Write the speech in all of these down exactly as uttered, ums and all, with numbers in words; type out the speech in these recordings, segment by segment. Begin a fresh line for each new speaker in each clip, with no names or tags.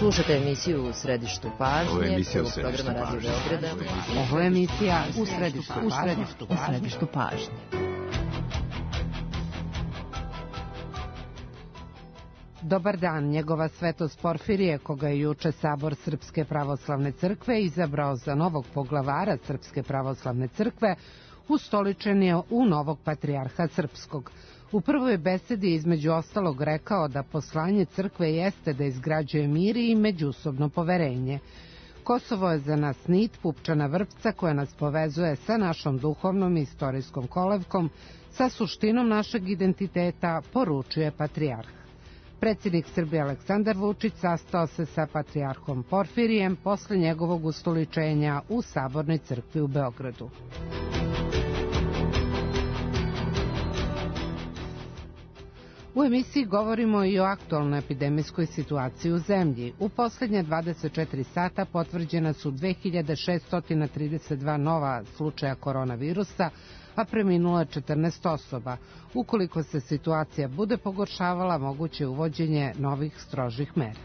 Slušate emisiju U središtu pažnje.
Ovo je emisija U središtu pažnje.
Ovo je emisija U središtu pažnje. U središtu pažnje. Dobar dan, njegova svetost Porfirije, koga je juče Sabor Srpske pravoslavne crkve izabrao za novog poglavara Srpske pravoslavne crkve, ustoličen je u novog patrijarha srpskog. U prvoj besedi između ostalog rekao da poslanje crkve jeste da izgrađuje mir i međusobno poverenje. Kosovo je za nas nit, pupčana vrpca koja nas povezuje sa našom duhovnom i istorijskom kolevkom, sa suštinom našeg identiteta, poručuje patrijarh. Predsjednik Srbije Aleksandar Vučić sastao se sa patrijarhom Porfirijem posle njegovog ustoličenja u Sabornoj crkvi u Beogradu. U emisiji govorimo i o aktualnoj epidemijskoj situaciji u zemlji. U posljednje dvadeset četiri sata potvrđena su dve hiljade šeststo trideset dva nova slučaja koronavirusa, a preminulo je četrnaest osoba. Ukoliko se situacija bude pogoršavala, moguće je uvođenje novih strožih mera.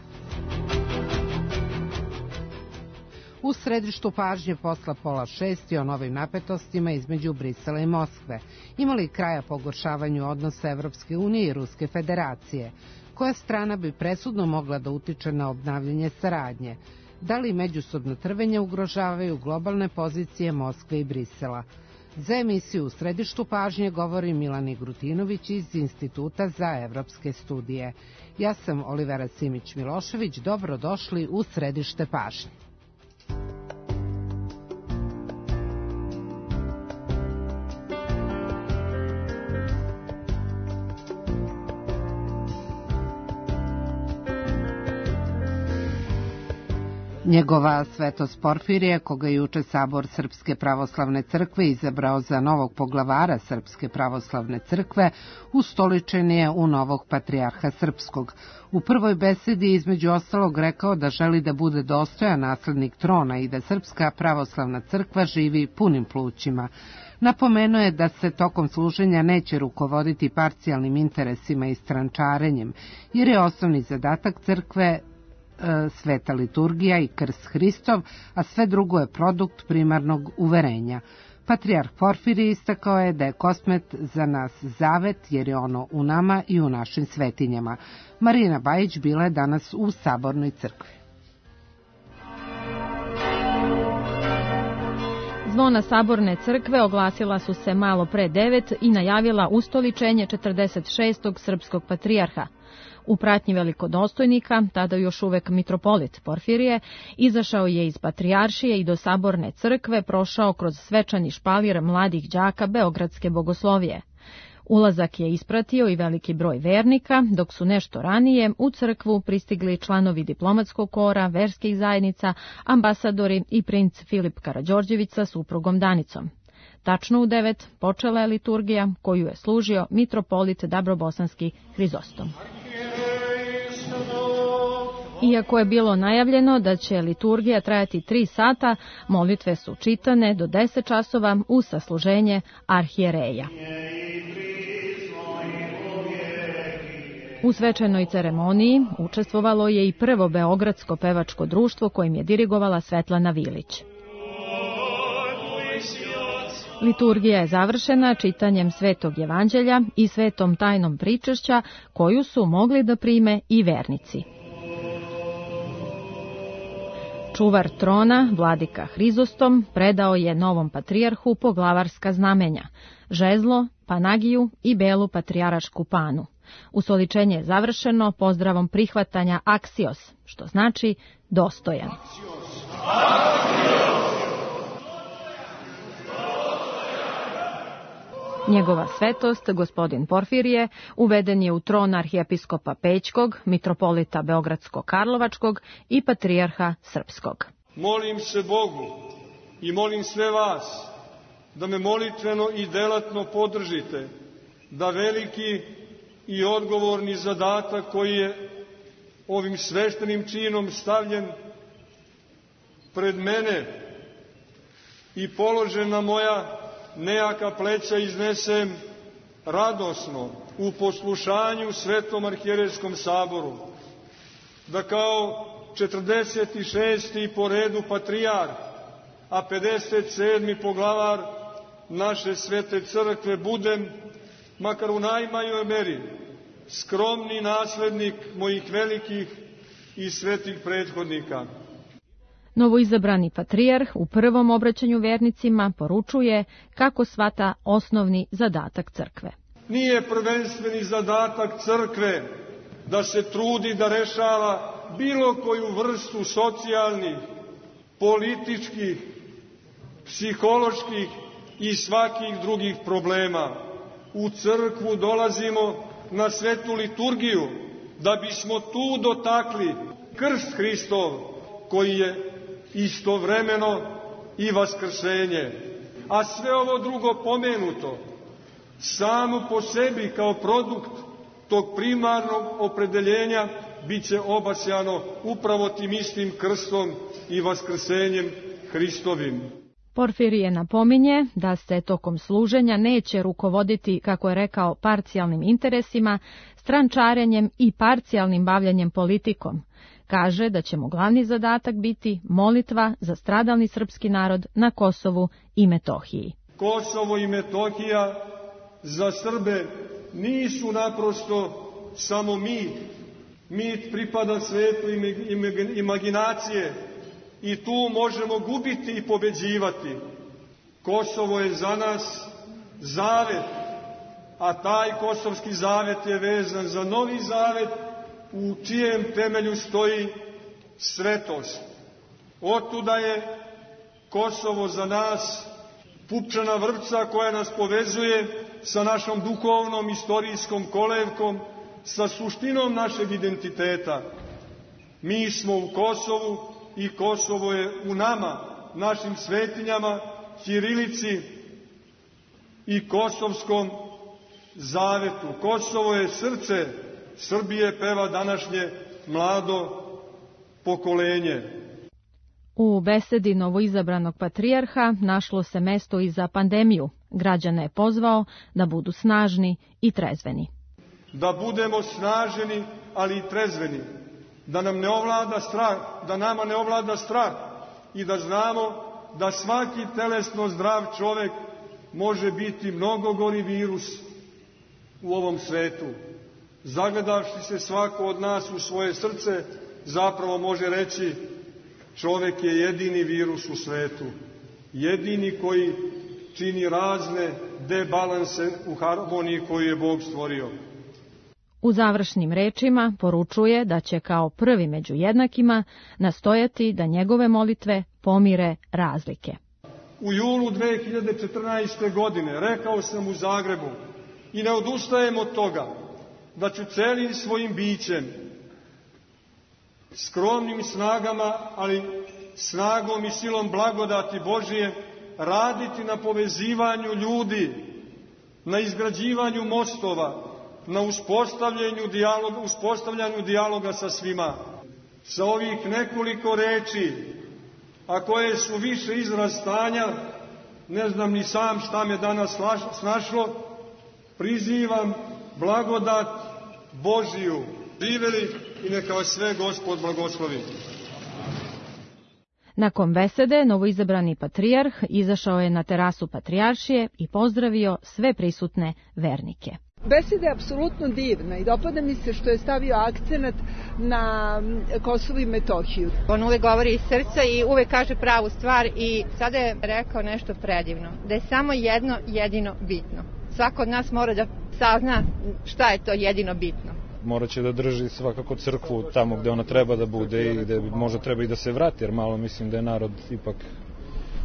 U središtu pažnje posla pola šesti o novim napetostima između Brisela i Moskve. Ima li kraja pogoršavanju odnosa Evropske unije i Ruske federacije? Koja strana bi presudno mogla da utiče na obnavljanje saradnje? Da li međusobno trvenje ugrožavaju globalne pozicije Moskve i Brisela? Za emisiju U središtu pažnje govori Milan Igrutinović iz Instituta za evropske studije. Ja sam Olivera Simić-Milošević, dobrodošli u središte pažnje. Njegova svetost Porfirije, koga je juče Sabor Srpske pravoslavne crkve izabrao za novog poglavara Srpske pravoslavne crkve, ustoličen je u novog patrijarha srpskog. U prvoj besedi između ostalog rekao da želi da bude dostojan naslednik trona i da Srpska pravoslavna crkva živi punim plućima. Napomenuo je da se tokom služenja neće rukovoditi parcijalnim interesima i strančarenjem, jer je osnovni zadatak crkve sveta liturgija i krst Hristov, a sve drugo je produkt primarnog uverenja. Patrijarh Porfirije istakao je da je Kosmet za nas zavet, jer je ono u nama i u našim svetinjama. Marijana Bajić bila je danas u Sabornoj crkvi.
Zvona Saborne crkve oglasila su se malo pre devet i najavila ustoličenje četrdeset šestog srpskog patrijarha. U pratnji velikodostojnika, tada još uvek mitropolit Porfirije, izašao je iz patrijaršije i do Saborne crkve prošao kroz svečani špalir mladih đaka Beogradske bogoslovije. Ulazak je ispratio i veliki broj vernika, dok su nešto ranije u crkvu pristigli članovi diplomatskog kora, verskih zajednica, ambasadori i princ Filip Karađorđević sa suprugom Danicom. Tačno u devet počela je liturgija koju je služio mitropolit Dabrobosanski Hrizostom. Iako je bilo najavljeno da će liturgija trajati tri sata, molitve su čitane do deset časova u sasluženje arhijereja. U svečanoj ceremoniji učestvovalo je i prvo beogradsko pevačko društvo kojim je dirigovala Svetlana Vilić. Liturgija je završena čitanjem Svetog evanđelja i svetom tajnom pričešća koju su mogli da prime i vernici. Čuvar trona, vladika Hrizostom, predao je novom patrijarhu poglavarska znamenja, žezlo, panagiju i belu patrijarašku panu. Ustoličenje je završeno pozdravom prihvatanja aksios, što znači dostojan. Njegova svetost, gospodin Porfirije, uveden je u tron arhijepiskopa Pećkog, mitropolita Beogradsko-Karlovačkog i patrijarha Srpskog.
Molim se Bogu i molim sve vas da me molitveno i delatno podržite, da veliki i odgovorni zadatak koji je ovim sveštenim činom stavljen pred mene i položen na moja nejaka pleća iznesem radosno u poslušanju Svetom arhijerejskom saboru, da kao četrdeset šesti po redu patrijarh, a pedeset sedmi poglavar naše svete crkve budem, makar u najmanjoj meri, skromni naslednik mojih velikih i svetih prethodnika.
Novoizabrani patrijarh u prvom obraćanju vernicima poručuje kako shvata osnovni zadatak crkve.
Nije prvenstveni zadatak crkve da se trudi da rešava bilo koju vrstu socijalnih, političkih, psiholoških i svakih drugih problema. U crkvu dolazimo na svetu liturgiju da bismo tu dotakli krst Hristov, koji je istovremeno i vaskrsenje. A sve ovo drugo pomenuto samo po sebi kao produkt tog primarnog opredeljenja bit će obasjano upravo tim istim krstom i vaskrsenjem Hristovim.
Porfirije napominje da se tokom služenja neće rukovoditi, kako je rekao, parcijalnim interesima, strančarenjem i parcijalnim bavljanjem politikom. Kaže da će mu glavni zadatak biti molitva za stradalni srpski narod na Kosovu i Metohiji.
Kosovo i Metohija za Srbe nisu naprosto samo mit. Mit pripada svetu imaginacije i tu možemo gubiti i pobeđivati. Kosovo je za nas zavet, a taj kosovski zavet je vezan za novi zavet u čijem temelju stoji svetost. Otuda je Kosovo za nas pupčana vrpca koja nas povezuje sa našom duhovnom, istorijskom kolevkom, sa suštinom našeg identiteta. Mi smo u Kosovu i Kosovo je u nama, našim svetinjama, ćirilici i kosovskom zavetu. Kosovo je srce Srbije, peva današnje mlado pokolenje.
U besedi novoizabranog patrijarha našlo se mesto i za pandemiju. Građane je pozvao da budu snažni i trezveni.
Da budemo snaženi, ali i trezveni. Da nam ne ovlada strah, da nama ne ovlada strah i da znamo da svaki telesno zdrav čovek može biti mnogo gori virus u ovom svetu. Zagledavši se svako od nas u svoje srce, zapravo može reći čovek je jedini virus u svetu. Jedini koji čini razne debalanse u harmoniji koju je Bog stvorio.
U završnim rečima poručuje da će kao prvi među jednakima nastojati da njegove molitve pomire razlike.
U julu dve hiljade četrnaeste. godine rekao sam u Zagrebu i ne odustajem od toga da ću celim svojim bićem, skromnim snagama, ali snagom i silom blagodati Božije, raditi na povezivanju ljudi, na izgrađivanju mostova, na uspostavljanju dijaloga, uspostavljanju dijaloga sa svima. Sa ovih nekoliko reči, a koje su više izraz stanja, ne znam ni sam šta me danas snašlo, prizivam blagodat Božiju. Živeli i neka vas sve Gospod blagoslovi.
Nakon besede, novoizabrani patrijarh izašao je na terasu patrijaršije i pozdravio sve prisutne vernike.
Beseda je apsolutno divna i dopada mi se što je stavio akcenat na Kosovo i Metohiju.
On uvek govori iz srca i uvek kaže pravu stvar i sada je rekao nešto predivno, da je samo jedno jedino bitno. Svako od nas mora da sazna šta je to jedino bitno.
Morat će da drži svakako crkvu tamo gde ona treba da bude i gde možda treba i da se vrati, jer malo mislim da je narod ipak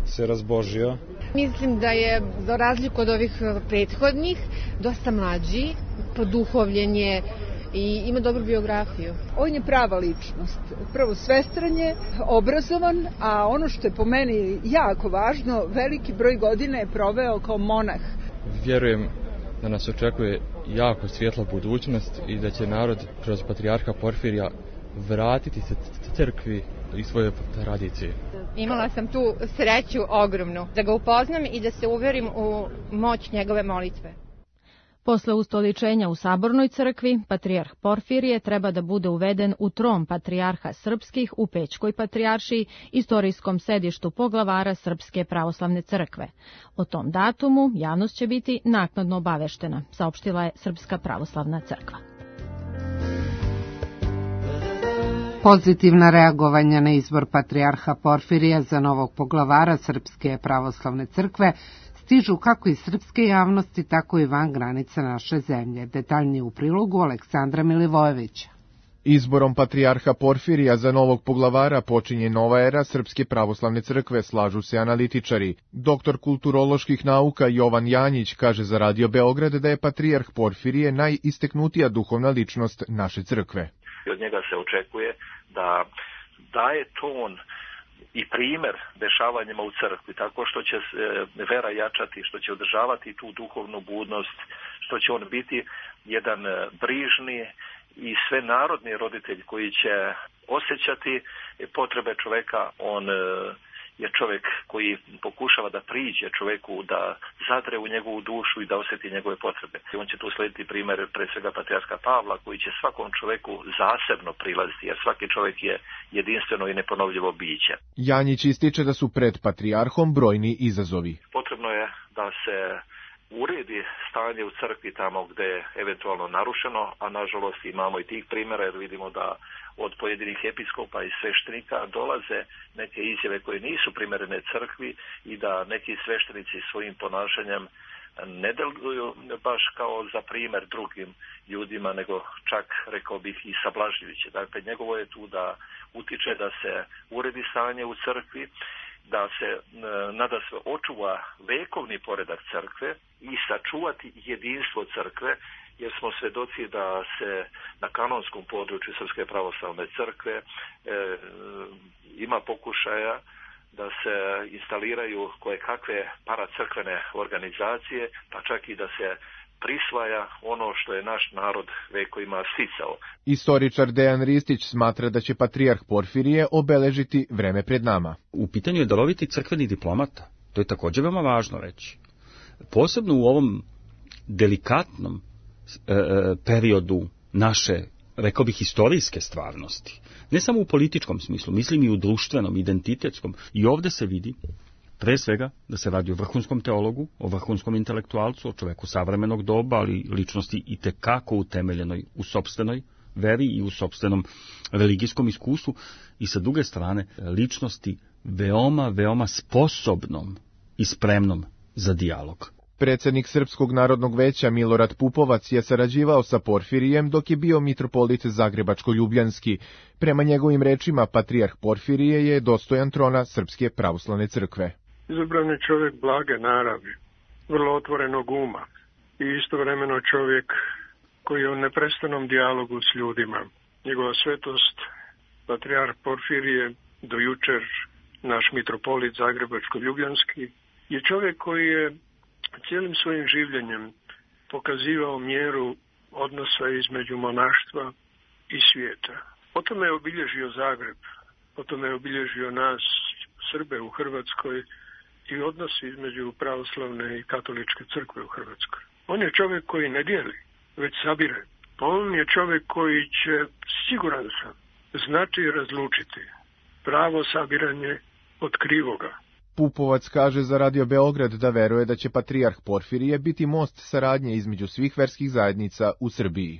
se razbožio.
Mislim da je, za razliku od ovih prethodnih, dosta mlađi, poduhovljen je i ima dobru biografiju.
On je prava ličnost. Prvo svestran je, obrazovan, a ono što je po meni jako važno, veliki broj godina je proveo kao monah.
Vjerujem da nas očekuje jako svjetla budućnost i da će narod kroz patrijarha Porfirija vratiti se crkvi i svoje tradicije.
Imala sam tu sreću ogromnu da ga upoznam i da se uverim u moć njegove molitve.
Posle ustoličenja u Sabornoj crkvi, patrijarh Porfirije treba da bude uveden u tron patrijarha srpskih u Pećkoj patrijaršiji, istorijskom sedištu poglavara Srpske pravoslavne crkve. O tom datumu javnost će biti naknadno obaveštena, saopštila je Srpska pravoslavna crkva.
Pozitivna reagovanja na izbor patrijarha Porfirija za novog poglavara Srpske pravoslavne crkve stižu kako iz srpske javnosti, tako i van granica naše zemlje. Detaljnije u prilogu Aleksandra Milivojevića.
Izborom patrijarha Porfirija za novog poglavara počinje nova era Srpske pravoslavne crkve, slažu se analitičari. Doktor kulturoloških nauka Jovan Janjić kaže za Radio Beograd da je patrijarh Porfirije najisteknutija duhovna ličnost naše crkve.
Od njega se očekuje da daje ton i primer dešavanjima u crkvi, tako što će vera jačati, što će održavati tu duhovnu budnost, što će on biti jedan brižni i svenarodni roditelj koji će osjećati potrebe čoveka. On je čovjek koji pokušava da priđe čovjeku, da zadre u njegovu dušu i da osjeti njegove potrebe. On će tu slediti primjer pre svega patrijarha Pavla, koji će svakom čovjeku zasebno prilaziti, jer svaki čovjek je jedinstveno i neponovljivo biće.
Janjić ističe da su pred patrijarhom brojni izazovi.
Potrebno je da se uredi stanje u crkvi tamo gde je eventualno narušeno, a nažalost imamo i tih primjera, jer vidimo da od pojedinih episkopa i sveštenika dolaze neke izjave koje nisu primjerene crkvi i da neki sveštenici svojim ponašanjem ne deluju baš kao za primjer drugim ljudima, nego čak, rekao bih, i sablažljiviće. Dakle, njegovo je tu da utiče da se uredi stanje u crkvi, da se nada se očuva vekovni poredak crkve i sačuvati jedinstvo crkve, jer smo svedoci da se na kanonskom području Srpske pravoslavne crkve e, ima pokušaja da se instaliraju koje kakve paracrkvene organizacije, pa čak i da se prisvaja ono što je naš narod vekovima sticao.
Istoričar Dejan Ristić smatra da će patrijarh Porfirije obeležiti vreme pred nama.
U pitanju je daroviti crkveni diplomata. To je također veoma važno reći. Posebno u ovom delikatnom e, periodu naše, rekao bih, historijske stvarnosti. Ne samo u političkom smislu, mislim i u društvenom, identitetskom. I ovdje se vidi, pre svega, da se radi o vrhunskom teologu, o vrhunskom intelektualcu, o čoveku savremenog doba, ali ličnosti i tekako utemeljenoj u sopstvenoj veri i u sopstvenom religijskom iskustvu, i sa druge strane ličnosti veoma, veoma sposobnom i spremnom za dijalog.
Predsjednik Srpskog narodnog veća Milorad Pupovac je sarađivao sa Porfirijem dok je bio mitropolit Zagrebačko-Ljubljanski. Prema njegovim rečima, patrijarh Porfirije je dostojan trona Srpske pravoslavne crkve.
Izabran je čovjek blage naravi, vrlo otvorenog uma i istovremeno čovjek koji je u neprestanom dijalogu s ljudima. Njegova svetost, patrijarh Porfirije, do jučer naš mitropolit Zagrebačko-Ljubljanski, je čovjek koji je cijelim svojim življenjem pokazivao mjeru odnosa između monaštva i svijeta. Potom je obilježio Zagreb, potom je obilježio nas, Srbe u Hrvatskoj, i odnos između pravoslavne i katoličke crkve u Hrvatskoj. On je čovjek koji ne dijeli, već sabire. On je čovjek koji će, siguran sam, znati razlučiti pravo sabiranje od krivoga.
Pupovac kaže za Radio Beograd da veruje da će patrijarh Porfirije biti most saradnje između svih verskih zajednica u Srbiji.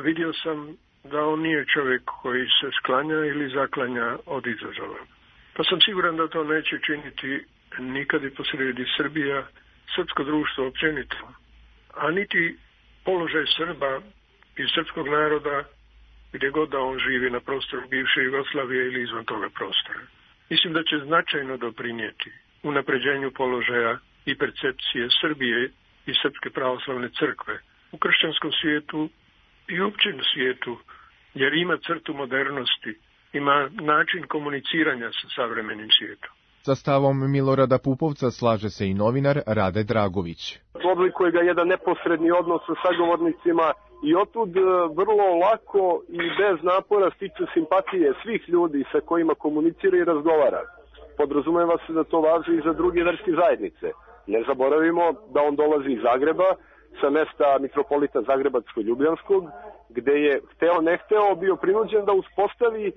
Vidio sam da on nije čovjek koji se sklanja ili zaklanja od izazova. Pa sam siguran da to neće činiti nikad i posredi Srbija, srpsko društvo općenito, a niti položaj Srba i srpskog naroda gdje god da on živi na prostoru bivše Jugoslavije ili izvan toga prostora. Mislim da će značajno doprinijeti unapređenju položaja i percepcije Srbije i Srpske pravoslavne crkve u kršćanskom svijetu i općem svijetu, jer ima crtu modernosti, ima način komuniciranja sa savremenim svijetom.
Sa stavom Milorada Pupovca slaže se i novinar Rade Dragović.
Oblikuje ga jedan neposredni odnos sa sagovornicima i otud vrlo lako i bez napora stiče simpatije svih ljudi sa kojima komunicira i razgovara. Podrazumeva se da to važi i za druge verske zajednice. Ne zaboravimo da on dolazi iz Zagreba, sa mesta mitropolita Zagrebačko-Ljubljanskog, gde je hteo ne hteo bio prinuđen da uspostavi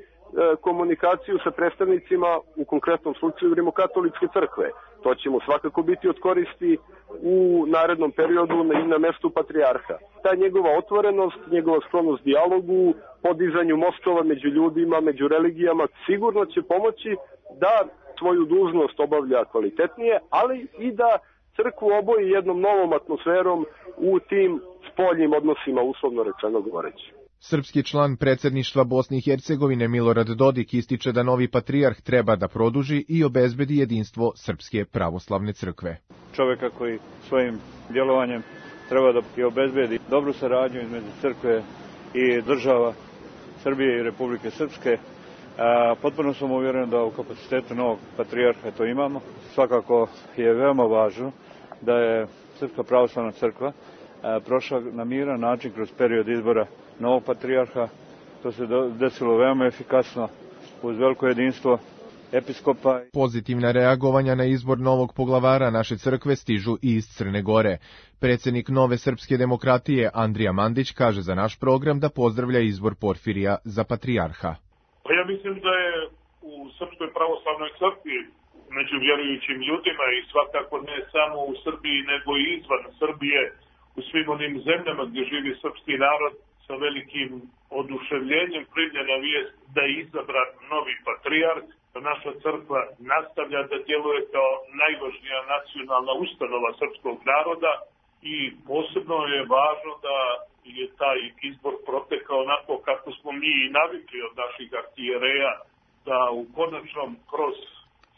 komunikaciju sa predstavnicima, u konkretnom slučaju Rimokatoličke crkve. To će mu svakako biti od koristi u narednom periodu i na mestu patrijarha. Ta njegova otvorenost, njegova sklonost dijalogu, podizanju mostova među ljudima, među religijama, sigurno će pomoći da svoju dužnost obavlja kvalitetnije, ali i da crkvu oboji jednom novom atmosferom u tim spoljnim odnosima, uslovno rečeno govoreći.
Srpski član predsjedništva Bosne i Hercegovine Milorad Dodik ističe da novi patrijarh treba da produži i obezbedi jedinstvo Srpske pravoslavne crkve.
Čovjeka koji svojim djelovanjem treba da i obezbedi dobru saradnju između crkve i država Srbije i Republike Srpske. A, potpuno sam uvjeren da u kapacitetu novog patrijarha to imamo. Svakako je veoma važno da je Srpska pravoslavna crkva a, prošla na miran način kroz period izbora novog patrijarha. To se desilo veoma efikasno uz veliko jedinstvo episkopa.
Pozitivna reagovanja na izbor novog poglavara naše crkve stižu i iz Crne Gore. Predsjednik Nove srpske demokratije Andrija Mandić kaže za naš program da pozdravlja izbor Porfirija za patrijarha.
Pa ja mislim da je u Srpskoj pravoslavnoj crkvi među vjerujućim ljudima i svakako ne samo u Srbiji nego i izvan Srbije, u svim onim zemljama gdje živi srpski narod, sa velikim oduševljenjem primljena vijest da je izabran novi patrijarh. Naša crkva nastavlja da djeluje kao najvažnija nacionalna ustanova srpskog naroda i posebno je važno da je taj izbor protekao onako kako smo mi i navikli od naših arhijereja, da u konačnom kroz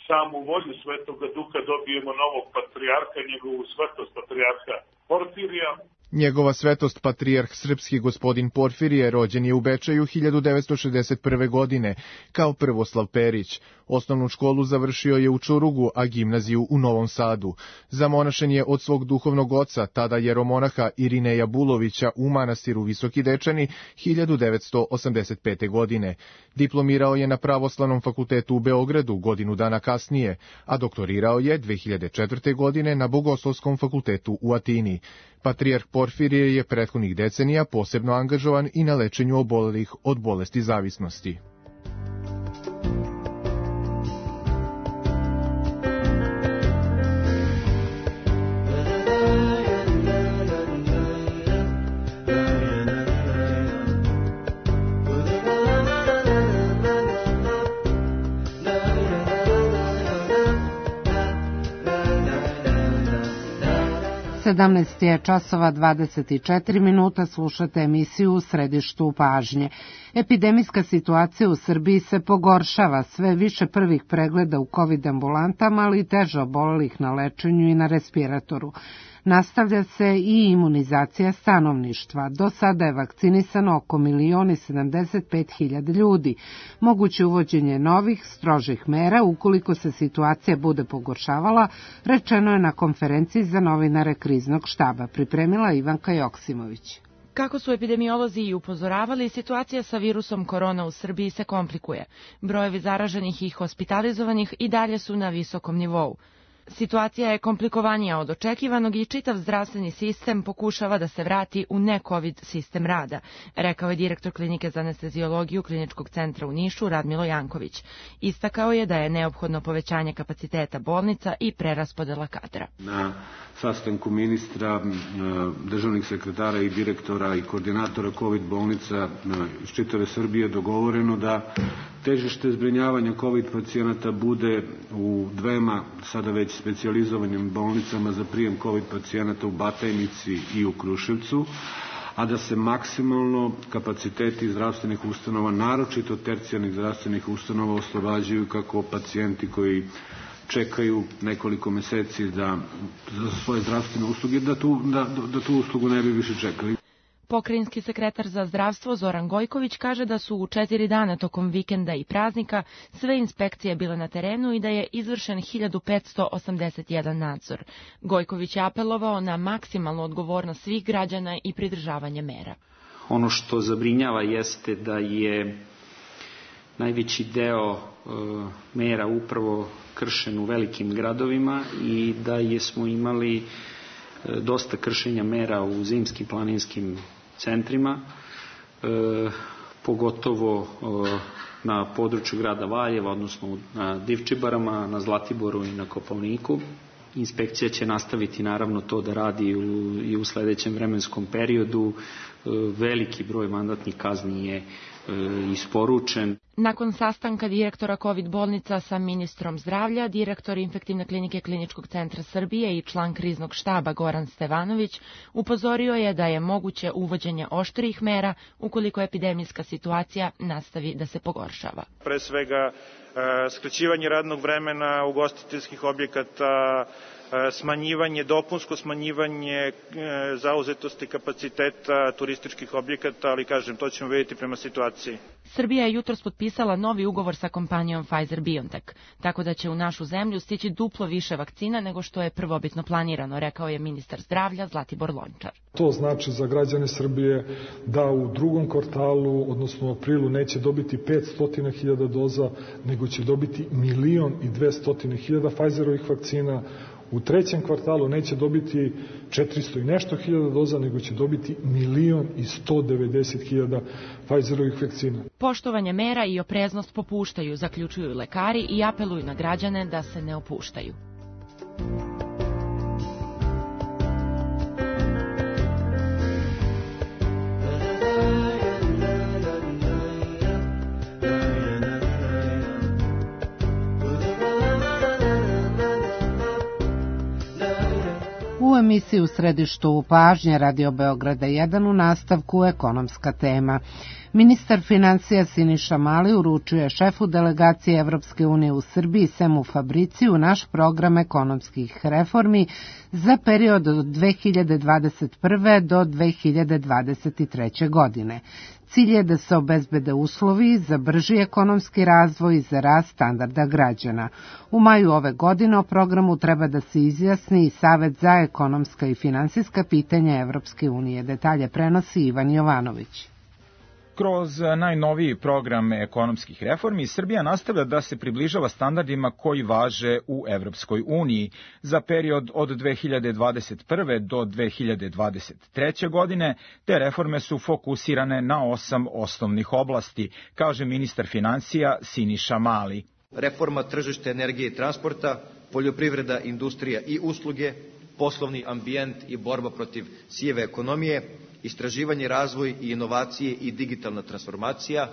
samu volju Svetoga Duha dobijemo novog patrijarha, njegovu svetost patrijarha Porfirija.
Njegova svetost patrijarh srpski gospodin Porfirije rođen je u Bečeju hiljadu devetsto šezdeset prve. godine kao Prvoslav Perić. Osnovnu školu završio je u Čurugu, a gimnaziju u Novom Sadu. Zamonašen je od svog duhovnog oca, tada jeromonaha Irineja Bulovića u manastiru Visoki Dečani hiljadu devetsto osamdeset pete. godine. Diplomirao je na Pravoslavnom fakultetu u Beogradu godinu dana kasnije, a doktorirao je dve hiljade četvrte. godine na Bogoslovskom fakultetu u Atini. Patrijarh Porfirije je prethodnih decenija posebno angažovan i na lečenju obolelih od bolesti zavisnosti.
sedamnaest je časova dvadeset četiri minuta, slušate emisiju U središtu pažnje. Epidemijska situacija u Srbiji se pogoršava, sve više prvih pregleda u COVID ambulantama, ali i teže obolelih na lečenju i na respiratoru. Nastavlja se i imunizacija stanovništva. Do sada je vakcinisano oko milion i sedamdeset pet hiljada ljudi. Moguće uvođenje novih, strožih mera ukoliko se situacija bude pogoršavala, rečeno je na konferenciji za novinare kriznog štaba. Pripremila Ivanka Joksimović.
Kako su epidemiolozi i upozoravali, situacija sa virusom korona u Srbiji se komplikuje. Brojevi zaraženih i hospitalizovanih i dalje su na visokom nivou. Situacija je komplikovanija od očekivanog i čitav zdravstveni sistem pokušava da se vrati u ne-COVID sistem rada, rekao je direktor klinike za anesteziologiju Kliničkog centra u Nišu Radmilo Janković. Istakao je da je neophodno povećanje kapaciteta bolnica i preraspodela kadra.
Na sastanku ministra, državnih sekretara i direktora i koordinatora COVID bolnica iz čitave Srbije dogovoreno da težište zbrinjavanja COVID pacijenata bude u dvema sada već specijalizovanim bolnicama za prijem COVID pacijenata u Batajnici i u Kruševcu, a da se maksimalno kapaciteti zdravstvenih ustanova, naročito tercijarnih zdravstvenih ustanova, oslobađaju kako pacijenti koji čekaju nekoliko meseci da, za svoje zdravstvene usluge, da tu, da, da tu uslugu ne bi više čekali.
Pokrajinski sekretar za zdravstvo Zoran Gojković kaže da su u četiri dana tokom vikenda i praznika sve inspekcije bile na terenu i da je izvršen hiljadu petsto osamdeset jedan nadzor. Gojković je apelovao na maksimalnu odgovornost svih građana i pridržavanje mera.
Ono što zabrinjava jeste da je najveći deo e, mera upravo kršen u velikim gradovima i da je smo imali dosta kršenja mera u zimskim planinskim centrima, pogotovo na području grada Valjeva, odnosno na Divčibarama, na Zlatiboru i na Kopaoniku. Inspekcija će nastaviti naravno to da radi u, i u sledećem vremenskom periodu. Veliki broj mandatnih kazni je isporučen.
Nakon sastanka direktora COVID bolnica sa ministrom zdravlja, direktor infektivne klinike Kliničkog centra Srbije i član kriznog štaba Goran Stevanović upozorio je da je moguće uvođenje oštrijih mera ukoliko epidemijska situacija nastavi da se pogoršava.
Pre svega skraćivanje radnog vremena ugostiteljskih objekata, smanjivanje, dopunsko smanjivanje zauzetosti kapaciteta turističkih objekata, ali kažem, to ćemo vidjeti prema situaciji.
Srbija je jutros potpisala novi ugovor sa kompanijom Pfizer-BioNTech, tako da će u našu zemlju stići duplo više vakcina nego što je prvobitno planirano, rekao je ministar zdravlja Zlatibor Lončar.
To znači za građane Srbije da u drugom kvartalu, odnosno u aprilu, neće dobiti petsto hiljada doza, nego će dobiti milion i dvesta hiljada Pfizerovih vakcina. U trećem kvartalu neće dobiti četiristo i nešto hiljada doza, nego će dobiti milion i sto devedeset hiljada Pfizerovih vakcina.
Poštovanje mera i opreznost popuštaju, zaključuju lekari i apeluju na građane da se ne opuštaju.
U emisiji U središtu pažnje Radio Beograda jedan u nastavku ekonomska tema. Ministar financija Siniša Mali uručuje šefu delegacije Evropske unije u Srbiji Semu Fabriciju naš program ekonomskih reformi za period od dve hiljade dvadeset prve do dve hiljade dvadeset treće. godine. Cilj je da se obezbede uslovi za brži ekonomski razvoj i za rast standarda građana. U maju ove godine o programu treba da se izjasni i Savet za ekonomska i finansijska pitanja Evropske unije. Detalje prenosi Ivan Jovanović.
Kroz najnoviji program ekonomskih reformi, Srbija nastavlja da se približava standardima koji važe u Evropskoj uniji. Za period od dve hiljade dvadeset prve do dve hiljade dvadeset treće. godine, te reforme su fokusirane na osam osnovnih oblasti, kaže ministar financija Siniša Mali.
Reforma tržišta energije i transporta, poljoprivreda, industrija i usluge, poslovni ambijent i borba protiv sive ekonomije, istraživanje, razvoj i inovacije i digitalna transformacija,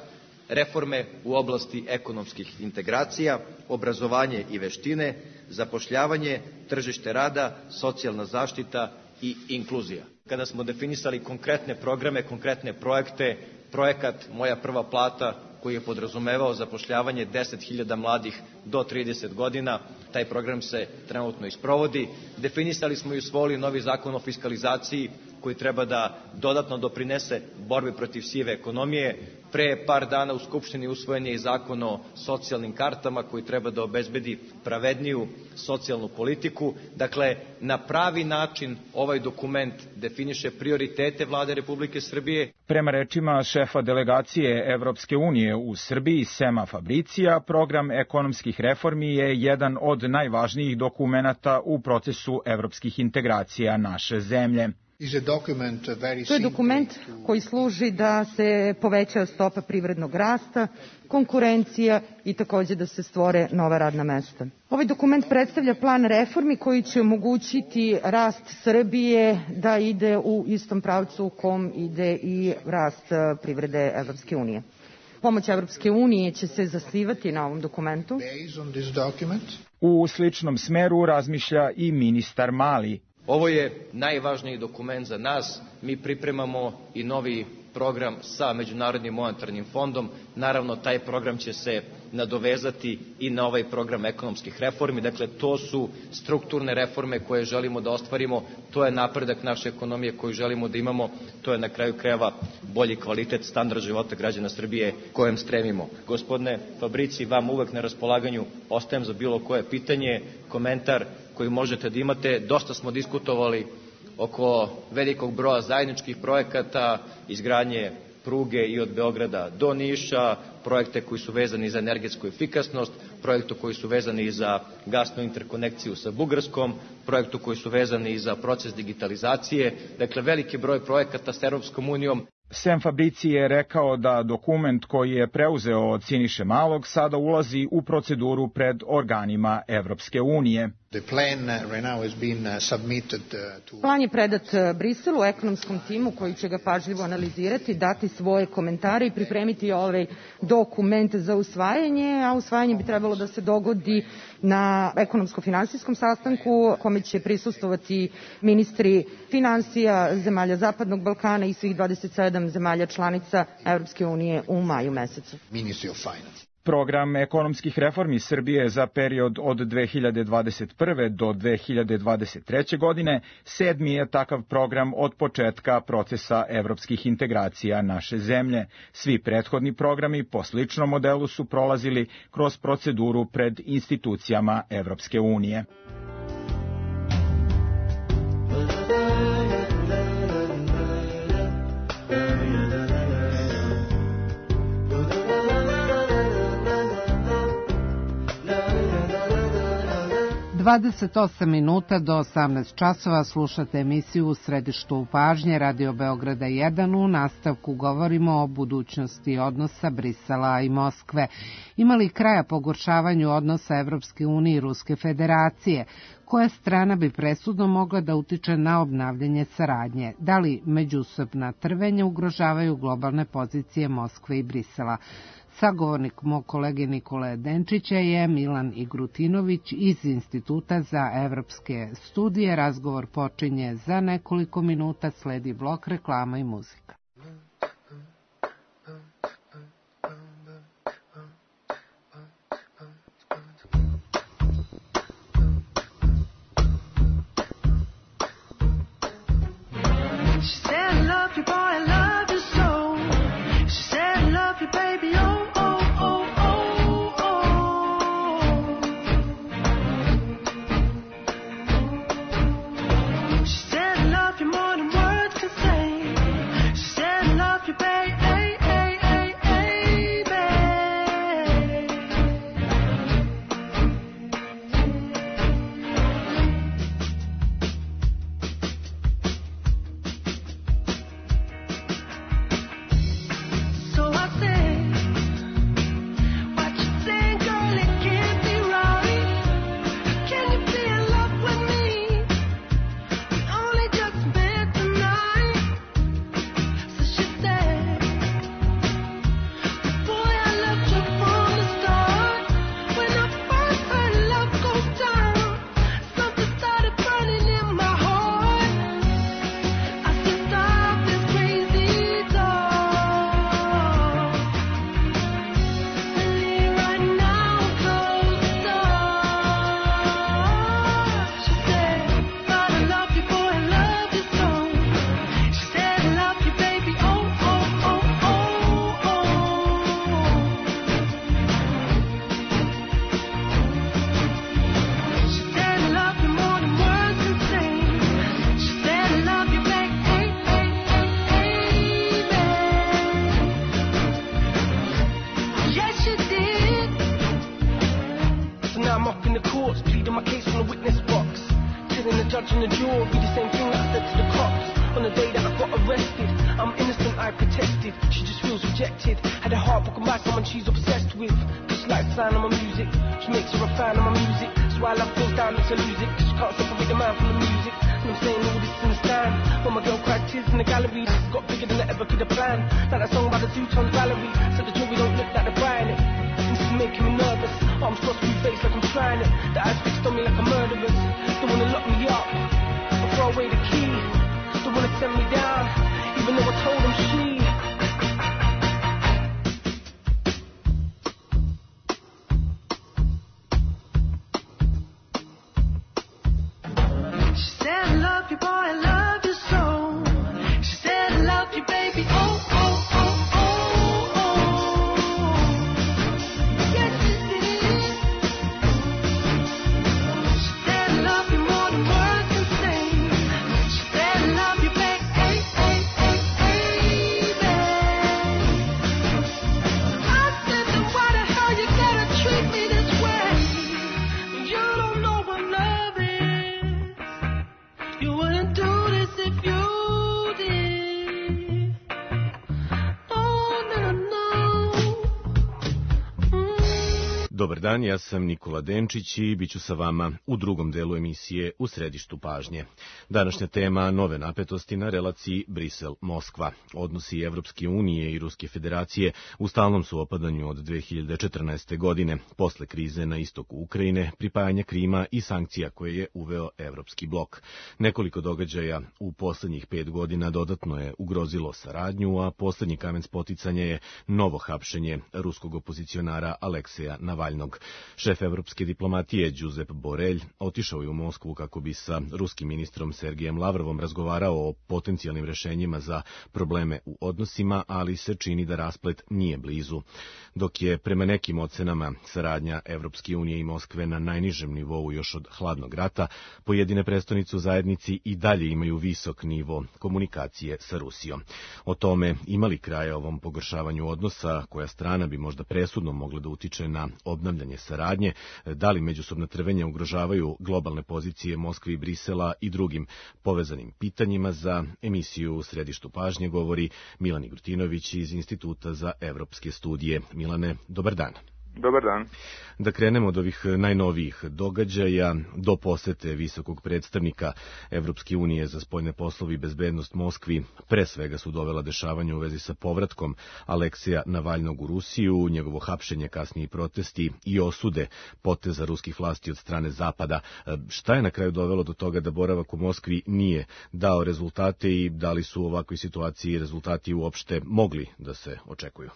reforme u oblasti ekonomskih integracija, obrazovanje i veštine, zapošljavanje, tržište rada, socijalna zaštita i inkluzija. Kada smo definisali konkretne programe, konkretne projekte, projekat Moja prva plata, koji je podrazumevao zapošljavanje deset hiljada mladih do trideset godina, taj program se trenutno isprovodi. Definisali smo i usvojili novi zakon o fiskalizaciji, koji treba da dodatno doprinese borbi protiv sive ekonomije. Pre par dana u Skupštini usvojen je i zakon o socijalnim kartama, koji treba da obezbedi pravedniju socijalnu politiku. Dakle, na pravi način ovaj dokument definiše prioritete Vlade Republike Srbije.
Prema rečima šefa delegacije Evropske unije u Srbiji Sema Fabricija, program ekonomskih reformi je jedan od najvažnijih dokumenata u procesu evropskih integracija naše zemlje.
To je dokument koji služi da se poveća stopa privrednog rasta, konkurencija i takođe da se stvore nova radna mesta. Ovaj dokument predstavlja plan reformi koji će omogućiti rast Srbije da ide u istom pravcu u kom ide i rast privrede Evropske unije. Pomoć Evropske unije će se zasnivati na ovom dokumentu.
U sličnom smeru razmišlja i ministar Mali.
Ovo je najvažniji dokument za nas. Mi pripremamo i novi program sa Međunarodnim monetarnim fondom. Naravno, taj program će se nadovezati i na ovaj program ekonomskih reformi. Dakle, to su strukturne reforme koje želimo da ostvarimo. To je napredak naše ekonomije koju želimo da imamo. To je na kraju krajeva bolji kvalitet, standard života građana Srbije kojem stremimo. Gospodine Fabrici, vam uvek na raspolaganju ostajem za bilo koje pitanje, komentar koji možete da imate. Dosta smo diskutovali oko velikog broja zajedničkih projekata, izgradnje pruge i od Beograda do Niša, projekte koji su vezani za energetsku efikasnost, projekte koji su vezani za gasnu interkonekciju sa Bugarskom, projekte koji su vezani za proces digitalizacije, dakle veliki broj projekata s Europskom unijom.
Sem Fabrici je rekao da dokument koji je preuzeo od Siniše Malog sada ulazi u proceduru pred organima Evropske unije.
Plan je predat Briselu, ekonomskom timu koji će ga pažljivo analizirati, dati svoje komentare i pripremiti ovaj dokument za usvajanje, a usvajanje bi trebalo da se dogodi na ekonomsko-finansijskom sastanku kome će prisustvovati ministri finansija zemalja Zapadnog Balkana i svih dvadeset sedam zemalja članica Evropske unije u maju mesecu.
Program ekonomskih reformi Srbije za period od dve hiljade dvadeset prve do dve hiljade dvadeset treće godine sedmi je takav program od početka procesa evropskih integracija naše zemlje. Svi prethodni programi po sličnom modelu su prolazili kroz proceduru pred institucijama Evropske unije.
dvadeset osam minuta do osamnaest časova slušate emisiju U središtu pažnje Radio Beograda jedan. U nastavku govorimo o budućnosti odnosa Brisela i Moskve. Ima li kraja pogoršavanju odnosa Evropske unije i Ruske federacije? Koja strana bi presudno mogla da utiče na obnavljanje saradnje? Da li međusobna trvenja ugrožavaju globalne pozicije Moskve i Brisela? Sagovornik mog kolege Nikole Denčića je Milan Igrutinović iz Instituta za evropske studije. Razgovor počinje za nekoliko minuta, sledi blok reklama i muzika.
She said, I love you, baby, oh, oh, oh, oh, oh. Dobar dan, ja sam Nikola Denčić i bit ću sa vama u drugom delu emisije U središtu pažnje. Današnja tema nove napetosti na relaciji Brisel-Moskva. Odnosi Evropske unije i Ruske federacije u stalnom su opadanju od dve hiljade četrnaeste. godine, posle krize na istoku Ukrajine, pripajanja Krima i sankcija koje je uveo Evropski blok. Nekoliko događaja u poslednjih pet godina dodatno je ugrozilo saradnju, a poslednji kamen spoticanja je novo hapšenje ruskog opozicionara Alekseja Navalnog. Šef evropske diplomatije Josep Borrell otišao je u Moskvu kako bi sa ruskim ministrom Sergejem Lavrovom razgovarao o potencijalnim rešenjima za probleme u odnosima, ali se čini da rasplet nije blizu. Dok je prema nekim ocenama saradnja Evropske unije i Moskve na najnižem nivou još od hladnog rata, pojedine prestonice u zajednici i dalje imaju visok nivo komunikacije sa Rusijom. O tome ima li kraja ovom pogoršavanju odnosa, koja strana bi možda presudno mogla da utiče na obnavljanje saradnje, da li međusobna trvenja ugrožavaju globalne pozicije Moskve i Brisela i drugim povezanim pitanjima. Za emisiju U središtu pažnje govori Milan Igrutinović iz Instituta za evropske studije. Milane, dobar dan.
Dobar dan.
Da krenemo od ovih najnovijih događaja do posete visokog predstavnika Evropske unije za spoljne poslove i bezbednost Moskvi. Pre svega su dovela dešavanja u vezi sa povratkom Alekseja Navalnog u Rusiju, njegovo hapšenje, kasniji protesti i osude poteza ruskih vlasti od strane Zapada. Šta je na kraju dovelo do toga da boravak u Moskvi nije dao rezultate i da li su u ovakvoj situaciji rezultati uopšte mogli da se očekuju?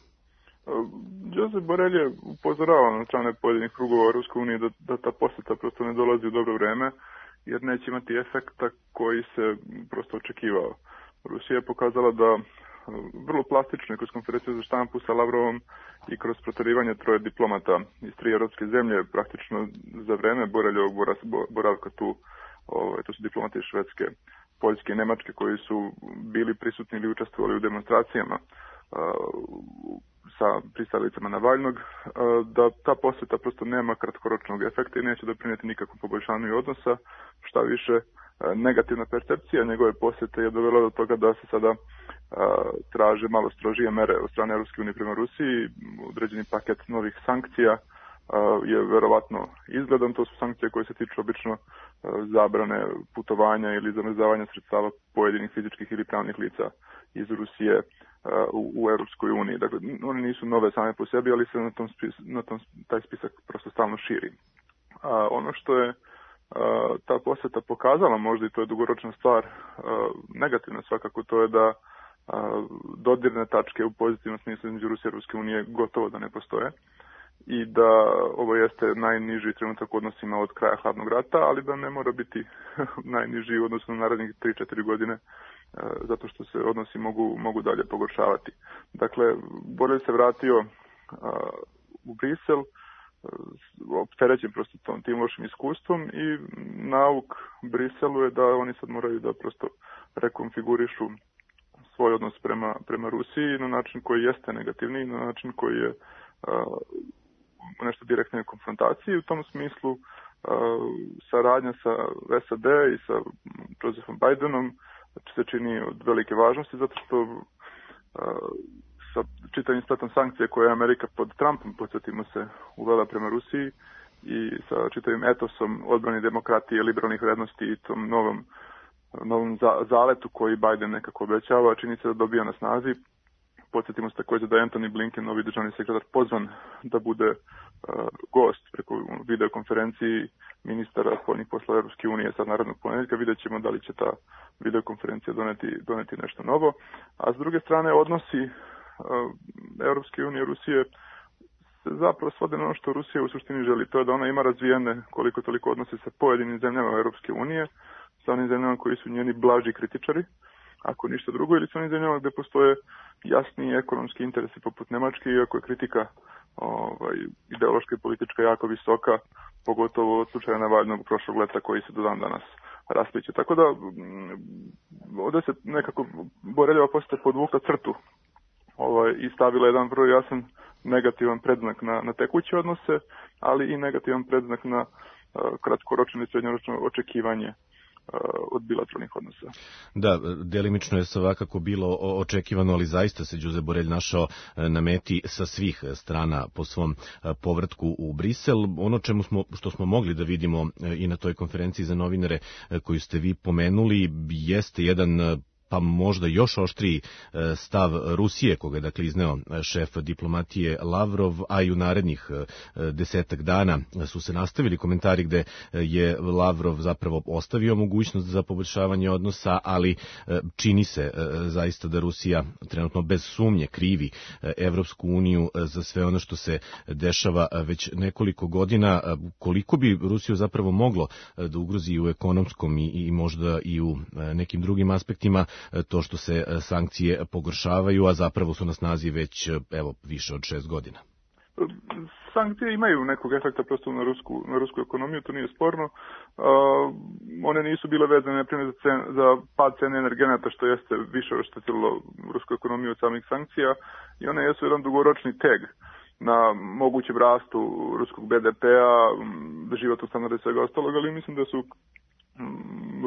Josep Borrell je upozoravao na strane pojedinih krugova u Ruskoj uniji da, da ta poseta prosto ne dolazi u dobro vreme, jer neće imati efekta koji se prosto očekivao. Rusija je pokazala da vrlo plastično kroz konferenciju za štampu sa Lavrovom i kroz proterivanje troje diplomata iz tri evropske zemlje, praktično za vreme Borrelljevog boravka tu, ovaj, to su diplomati iz Švedske, Poljske i Nemačke koji su bili prisutni ili učestvovali u demonstracijama sa pristalicama Navalnog, da ta poseta prosto nema kratkoročnog efekta i neće doprinijeti nikakvom poboljšanju odnosa. Šta više, negativna percepcija njegove posete je dovela do toga da se sada traže malo strožije mere od strane Evropske unije prema Rusiji. Određeni paket novih sankcija je verovatno izgledan. To su sankcije koje se tiču obično zabrane putovanja ili zamrzavanja sredstava pojedinih fizičkih ili pravnih lica iz Rusije u, u Europskoj uniji. Dakle, oni nisu nove same po sebi, ali se na tom, spis, na tom taj spisak prosto stalno širi. A, ono što je a, ta poseta pokazala, možda i to je dugoročna stvar, a, negativna svakako, to je da a, dodirne tačke u pozitivnom smislu između Rusije i Europske unije gotovo da ne postoje i da ovo jeste najniži trenutak u odnosima od kraja hladnog rata, ali da ne mora biti najniži u odnosu na narednih tri četiri godine, zato što se odnosi mogu, mogu dalje pogoršavati. Dakle, Borrell se vratio uh, u Brisel, uh, opterećen prosto tom, tim lošim iskustvom i nauk Briselu je da oni sad moraju da prosto rekonfigurišu svoj odnos prema, prema Rusiji na način koji jeste negativni, na način koji je uh, nešto direktne konfrontacije. U tom smislu uh, saradnja sa S A D i sa Josephom Bidenom se čini od velike važnosti, zato što uh, sa čitavim spletom sankcije koje je Amerika pod Trumpom, podsjetimo se, uvela prema Rusiji i sa čitavim etosom odbrane demokratije, liberalnih vrednosti i tom novom, novom za, zaletu koji Biden nekako obećava, čini se da dobija na snazi. Podsjetimo se također da je Antony Blinken, novi državni sekretar, pozvan da bude uh, gost preko videokonferenciji ministara spoljnih poslova Europske unije sad narednog ponedjeljka. Vidjet ćemo da li će ta videokonferencija doneti, doneti nešto novo. A s druge strane, odnosi uh, Europske unije i Rusije se zapravo svode na ono što Rusija u suštini želi. To je da ona ima razvijene koliko toliko odnose sa pojedinim zemljama Europske unije, sa onim zemljama koji su njeni blaži kritičari, ako ništa drugo, ili su onim zemljama gde postoje jasni ekonomski interesi poput Nemačke, iako je kritika ovaj, ideološka i politička jako visoka, pogotovo od slučaja Navalnog prošlog leta koji se do dan danas raspliće. Tako da ovdje se nekako Borreljeva poseta podvukla crtu ovaj, i stavila jedan vrlo jasan negativan predznak na, na tekuće odnose, ali i negativan predznak na uh, kratkoročno i srednjoročno očekivanje od bilateralnih odnosa.
Da, delimično je svakako bilo očekivano, ali zaista se Đuze Borelj našao na meti sa svih strana po svom povratku u Brisel. Ono čemu smo, što smo mogli da vidimo i na toj konferenciji za novinare koju ste vi pomenuli, jeste jedan pa možda još oštriji stav Rusije, koga je dakle izneo šef diplomatije Lavrov, a i u narednih desetak dana su se nastavili komentari gde je Lavrov zapravo ostavio mogućnost za poboljšavanje odnosa, ali čini se zaista da Rusija trenutno bez sumnje krivi Evropsku uniju za sve ono što se dešava već nekoliko godina. Koliko bi Rusiju zapravo moglo da ugrozi u ekonomskom i, i možda i u nekim drugim aspektima to što se sankcije pogoršavaju, a zapravo su na snazi već evo više od šest godina?
Sankcije imaju nekog efekta prosto na rusku, na rusku ekonomiju, to nije sporno. Uh, one nisu bile vezane na primjer za, cen, za pad cene energenata, što jeste više oštetilo rusku ekonomiju od samih sankcija, i one jesu jedan dugoročni teg na mogućem rastu ruskog be de pe-a, životnog standarda i svega ostalog, ali mislim da su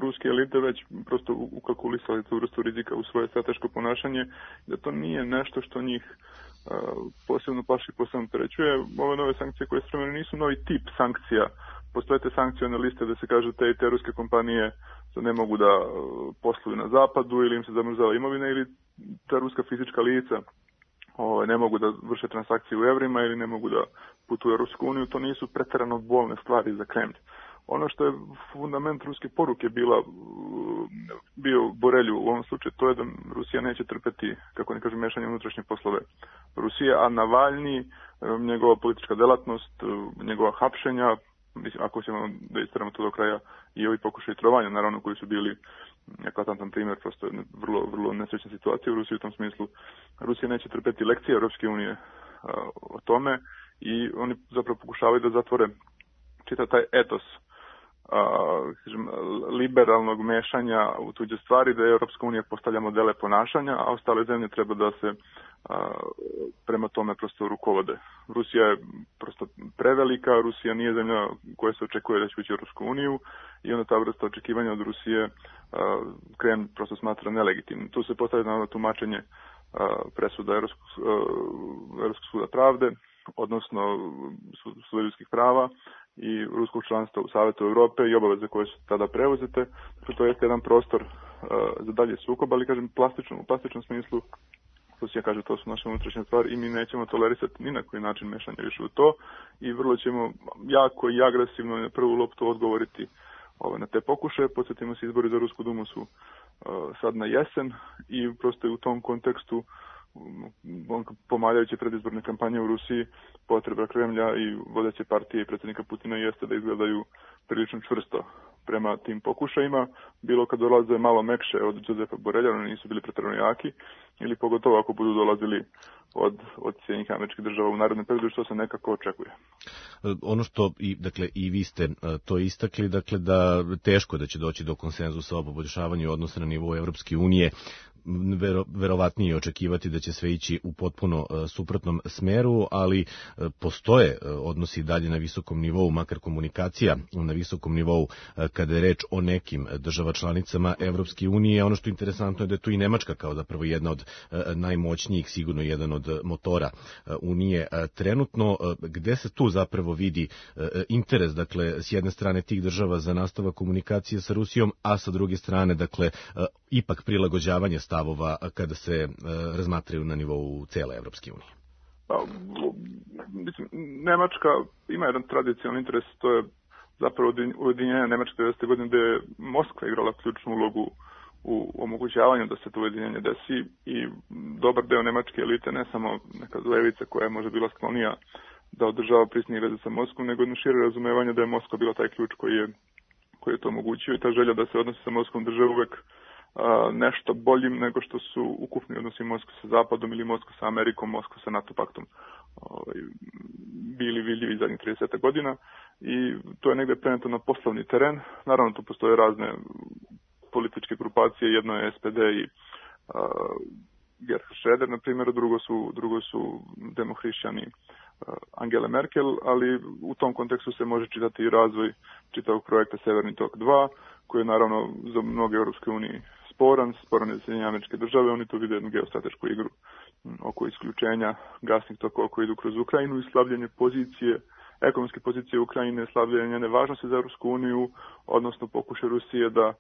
ruske elite već prosto ukalkulisali tu vrstu rizika u svoje strateško ponašanje, da to nije nešto što njih uh, posebno plaši, posebno prećuje. Ove nove sankcije koje spremene nisu novi tip sankcija. Postoje te sankcione liste da se kaže te i te ruske kompanije da ne mogu da posluju na zapadu ili im se zamrzava imovina, ili ta ruska fizička lica Ove, ne mogu da vrše transakcije u evrima ili ne mogu da putuju u Rusku uniju. To nisu preterano bolne stvari za Kremlj. Ono što je fundament ruske poruke bila, bio Borelju u ovom slučaju, to je da Rusija neće trpeti, kako ne kažem, mešanje unutrašnje poslove Rusije, a Navalni, njegova politička delatnost, njegova hapšenja, mislim, ako ćemo da istaramo to do kraja, i ovi pokušaj trovanja, naravno, koji su bili eklatantan primjer, prosto vrlo, vrlo nesrećna situacija u Rusiji u tom smislu. Rusija neće trpeti lekcije Europske unije o tome i oni zapravo pokušavaju da zatvore čitav taj etos Uh, kažem, liberalnog mešanja u tuđe stvari, da je Europska unija postavlja modele ponašanja, a ostale zemlje treba da se uh, prema tome prosto rukovode. Rusija je prosto prevelika, Rusija nije zemlja koja se očekuje da će ući u Europsku uniju, i onda ta vrsta očekivanja od Rusije uh, Kremlj prosto smatra nelegitimnim. Tu se postavlja na tumačenje uh, presuda Europskog, uh, Europskog suda pravde, odnosno suda ljudskih prava i ruskog članstva u Savetu Evrope i obaveze koje su tada preuzete. Dakle, to je jedan prostor uh, za dalje sukob, ali kažem plastično, u plastičnom smislu Rusija kaže to su naše unutrašnje stvari i mi nećemo tolerisati ni na koji način mešanje više u to, i vrlo ćemo jako i agresivno na prvu loptu odgovoriti ove, na te pokušaje. Podsjetimo se, izbori za Rusku dumu su uh, sad na jesen i prosto u tom kontekstu pomaljajući predizborne kampanje u Rusiji, potreba Kremlja i vodeće partije i predsjednika Putina jeste da izgledaju prilično čvrsto prema tim pokušajima, bilo kad dolaze malo mekše od Đozefa Borelja, oni nisu bili preterano jaki, ili pogotovo ako budu dolazili od, od Sjedinjenih Američkih Država u narednom periodu, što se nekako očekuje.
Ono što i, dakle, i vi ste to istakli, dakle, da teško da će doći do konsenzusa o poboljšavanju odnosa na nivou Evropske unije, Vero, verovatnije očekivati da će sve ići u potpuno uh, suprotnom smeru, ali uh, postoje uh, odnosi dalje na visokom nivou, makar komunikacija na visokom nivou uh, kada je reč o nekim država članicama Evropske unije. Ono što je interesantno je da je tu i Nemačka kao zapravo jedna od uh, najmoćnijih, sigurno jedan od motora uh, Unije uh, trenutno. Uh, gde se tu zapravo vidi uh, interes, dakle, s jedne strane tih država za nastavak komunikacije sa Rusijom, a sa druge strane, dakle, uh, ipak prilagođavanje stavova kada se e, razmatraju na nivou cele Evropske unije?
Pa, mislim, Nemačka ima jedan tradicionalni interes, to je zapravo ujedinjenje Nemačke devedesete godine, gde je Moskva igrala ključnu ulogu u omogućavanju da se to ujedinjenje desi, i dobar deo nemačke elite, ne samo neka levica koja je možda bila sklonija da održava prisnije veze sa Moskvom, nego jedno šire razumevanje da je Moskva bila taj ključ koji je, koji je to omogućio, i ta želja da se odnosi sa Moskvom drže uvek nešto boljim nego što su ukupni odnosi Moskva sa Zapadom ili Moskva sa Amerikom, Moskva sa NATO paktom ovaj, bili vidljivi zadnjih trideset godina, i to je negde preneto na poslovni teren. Naravno, tu postoje razne političke grupacije, jedno je S P D i uh, Gerhard Schröder, na primjer, drugo su, drugo su demohrišćani uh, Angela Merkel, ali u tom kontekstu se može čitati i razvoj čitavog projekta Severni tok dva, koji je naravno za mnoge Europske unije sporan, sporan je Sjedinjene Američke Države, oni tu vide jednu geostratešku igru oko isključenja gasnih tokova koji idu kroz Ukrajinu i slabljenje pozicije, ekonomske pozicije Ukrajine, slabljenje njene važnosti za Europsku uniju, odnosno pokušaj Rusije da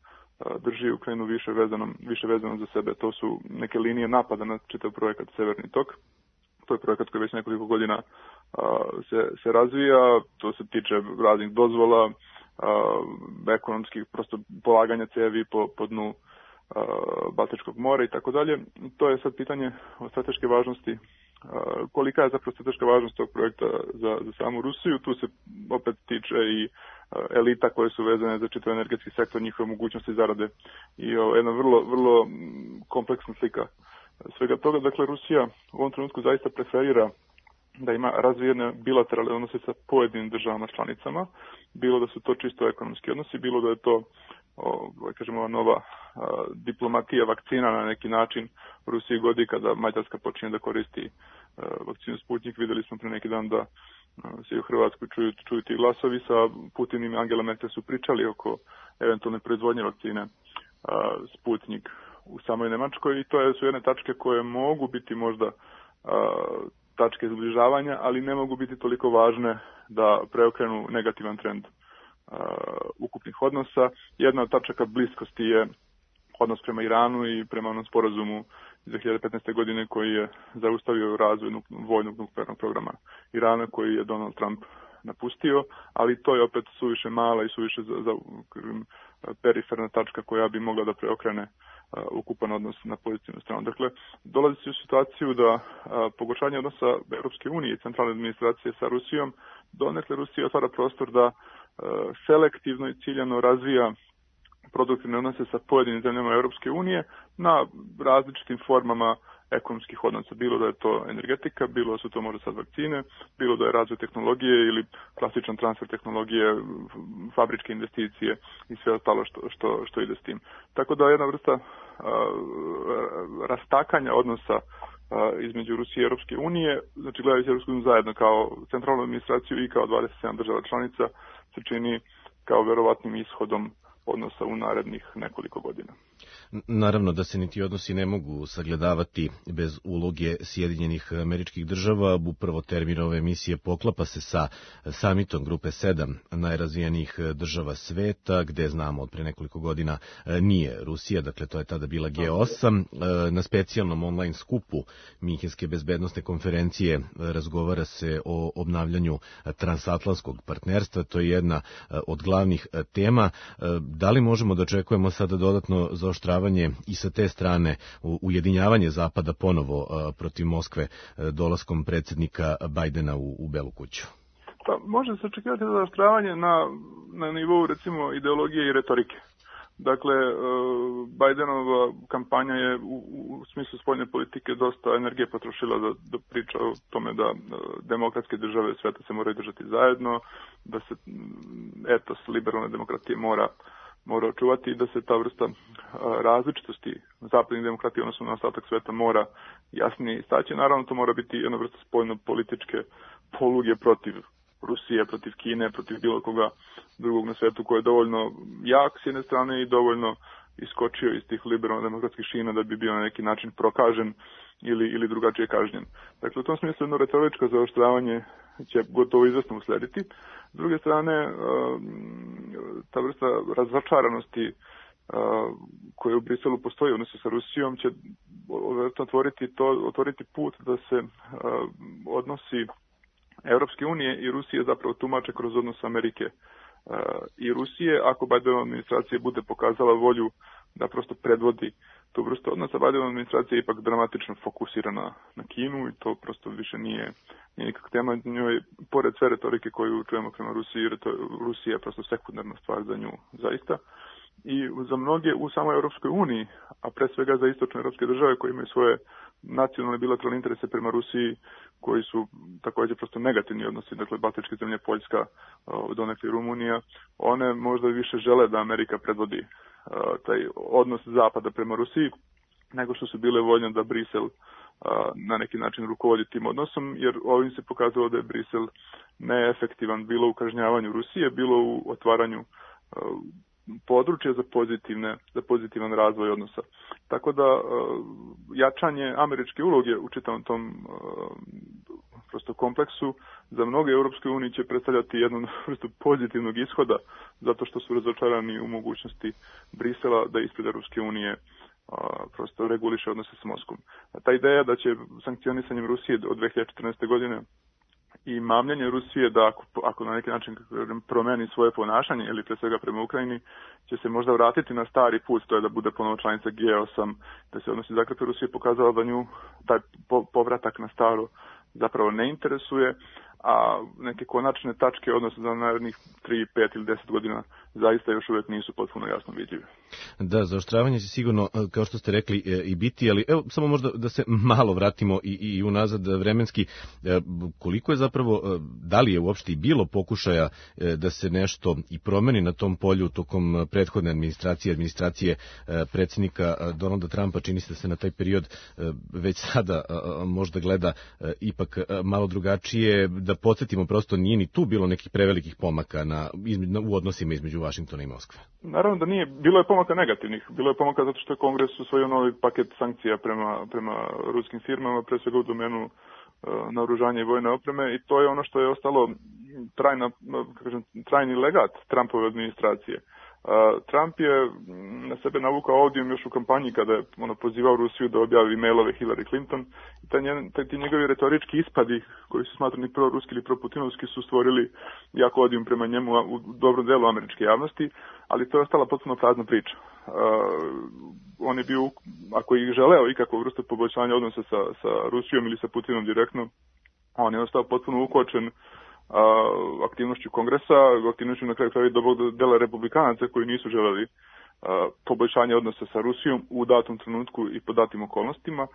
drži Ukrajinu više vezanom, više vezanom za sebe. To su neke linije napada na čitav projekat Severni tok. To je projekat koji već nekoliko godina a, se, se razvija, to se tiče raznih dozvola, a, ekonomskih, prosto polaganja cevi po, po dnu a, Baltičkog mora i tako dalje. To je sad pitanje o strateške važnosti. A, kolika je zapravo strateška važnost tog projekta za, za samu Rusiju? Tu se opet tiče i a, elita koje su vezane za čitav energetski sektor, njihove mogućnosti zarade i o, jedna vrlo, vrlo kompleksna slika svega toga. Dakle, Rusija u ovom trenutku zaista preferira da ima razvijene bilateralne odnose sa pojedinim državama članicama, bilo da su to čisto ekonomski odnosi, bilo da je to o, kažemo, nova a, diplomatija vakcina na neki način. U Rusiji godi kada Mađarska počinje da koristi a, vakcinu Sputnik. Videli smo pre neki dan da a, se u Hrvatskoj čuju, čuju ti glasovi. Sa Putinim i Angela Merkel su pričali oko eventualne proizvodnje vakcine a, Sputnik u samoj Nemačkoj i to je, su jedne tačke koje mogu biti možda a, tačke zbližavanja, ali ne mogu biti toliko važne da preokrenu negativan trend a, ukupnih odnosa. Jedna od tačaka bliskosti je odnos prema Iranu i prema onom sporazumu iz dve hiljade petnaeste. godine koji je zaustavio razvoj nuk, vojnog nuklearnog programa Irana koji je Donald Trump napustio, ali to je opet suviše mala i suviše za, za periferna tačka koja bi mogla da preokrene uh, ukupan odnos na pozitivnu stranu. Dakle, dolazi se u situaciju da uh, pogoršanje odnosa Europske unije i centralne administracije sa Rusijom, donekle Rusija otvara prostor da uh, selektivno i ciljano razvija produktivne odnose sa pojedinim zemljama Europske unije na različitim formama ekonomskih odnosa, bilo da je to energetika, bilo da su to možda sad vakcine, bilo da je razvoj tehnologije ili klasičan transfer tehnologije, fabričke investicije i sve ostalo što, što, što ide s tim. Tako da jedna vrsta a, rastakanja odnosa a, između Rusije i Europske unije, znači gledajući Europsku uniju zajedno kao centralnu administraciju i kao dvadeset sedam država članica, se čini kao verovatnim ishodom odnosa u narednih nekoliko godina.
Naravno da se niti odnosi ne mogu sagledavati bez uloge Sjedinjenih Američkih Država. Upravo termin ove emisije poklapa se sa samitom Grupe sedam najrazvijenijih država sveta, gde znamo od pre nekoliko godina nije Rusija, dakle to je tada bila G osam. Na specijalnom online skupu Minhenske bezbednosne konferencije razgovara se o obnavljanju transatlantskog partnerstva, to je jedna od glavnih tema. Da li možemo da očekujemo sada dodatno zaoštravanje i sa te strane ujedinjavanje Zapada ponovo protiv Moskve dolaskom predsjednika Bajdena u, u Belu kuću?
Pa može se očekivati zaoštravanje na, na nivou recimo ideologije i retorike. Dakle, Bajdenova kampanja je u, u smislu spoljne politike dosta energije potrošila da, da priča o tome da demokratske države sveta se moraju držati zajedno, da se etos liberalne demokratije mora mora očuvati i da se ta vrsta različitosti zapadnih demokratija odnosno na ostatak sveta mora jasnije istaći. Naravno, to mora biti jedna vrsta spoljno-političke poluge protiv Rusije, protiv Kine, protiv bilo koga drugog na svetu koji je dovoljno jak s jedne strane i dovoljno iskočio iz tih liberalno-demokratskih šina da bi bio na neki način prokažen ili, ili drugačije kažnjen. Dakle, u tom smislu jedno retoričko zaoštravanje će gotovo izvesno uslediti. S druge strane, ta vrsta razračaranosti koja u Briselu postoji u odnosu sa Rusijom će otvoriti, to, otvoriti put da se odnosi Europske unije i Rusije zapravo tumače kroz odnos Amerike i Rusije. Ako Bidenova administracija bude pokazala volju da prosto predvodi tu vrstu odnosa, Bidenova administracija je ipak dramatično fokusirana na Kinu i to prosto više nije, nije nikak tema. Njoj, pored sve retorike koju čujemo prema Rusiji, Rusija je prosto sekundarna stvar za nju zaista. I za mnoge u samoj Europskoj uniji, a pre svega za istočne europske države koje imaju svoje nacionalne bilateralne interese prema Rusiji, koji su također prosto negativni odnosi, dakle Baltičke zemlje, Poljska, donekle Rumunija, one možda više žele da Amerika predvodi taj odnos Zapada prema Rusiji, nego što su bile voljne da Brisel na neki način rukovodi tim odnosom, jer ovim se pokazalo da je Brisel neefektivan bilo u kažnjavanju Rusije, bilo u otvaranju područje za pozitivne, za pozitivan razvoj odnosa. Tako da jačanje američke uloge u čitavom tom prosto kompleksu za mnoge Europske unije će predstavljati jednu vrstu pozitivnog ishoda, zato što su razočarani u mogućnosti Brisela da ispred Europske unije prosto reguliše odnose s Moskvom. Ta ideja da će sankcionisanjem Rusije od dve hiljade četrnaeste. godine i mamljenje Rusije da ako, ako na neki način promeni svoje ponašanje ili pre svega prema Ukrajini, će se možda vratiti na stari put, to je da bude ponovo članica G osam, da se odnosi zakrepe Rusije, pokazala da nju taj povratak na staro zapravo ne interesuje, a neke konačne tačke, odnosno za narednih tri, pet ili deset godina, zaista još uvijek nisu potpuno jasno vidljive.
Da, zaoštravanje će sigurno, kao što ste rekli, i biti, ali evo, samo možda da se malo vratimo i, i unazad vremenski, koliko je zapravo, da li je uopšte i bilo pokušaja da se nešto i promeni na tom polju tokom prethodne administracije, administracije predsjednika Donalda Trumpa, čini se da se na taj period već sada možda gleda ipak malo drugačije, da podsjetimo, prosto nije ni tu bilo nekih prevelikih pomaka na, u odnosima između Vašingtona i Moskve.
Naravno da nije. Bilo je pomaka negativnih. Bilo je pomaka zato što je Kongres usvojio novi paket sankcija prema, prema ruskim firmama, pre svega u domenu uh, naoružanja i vojne opreme, i to je ono što je ostalo trajna, kažem, trajni legat Trumpove administracije. Uh, Trump je na sebe navukao odijum još u kampanji kada je ono, pozivao Rusiju da objavi mailove Hillary Clinton, i taj, njen, taj ti njegovi retorički ispadi koji su smatrani proruski ili proputinovski su stvorili jako odijum prema njemu u dobrom delu američke javnosti, ali to je ostala potpuno prazna priča. Uh, on je bio, ako ih želeo ikakvu vrstu poboljšanja odnosa sa, sa Rusijom ili sa Putinom direktno, on je ostao potpuno ukočen aktivnošću Kongresa, aktivnošću na kraju kraju dobrog dela republikanaca koji nisu želeli poboljšanje odnosa sa Rusijom u datom trenutku i po datim okolnostima,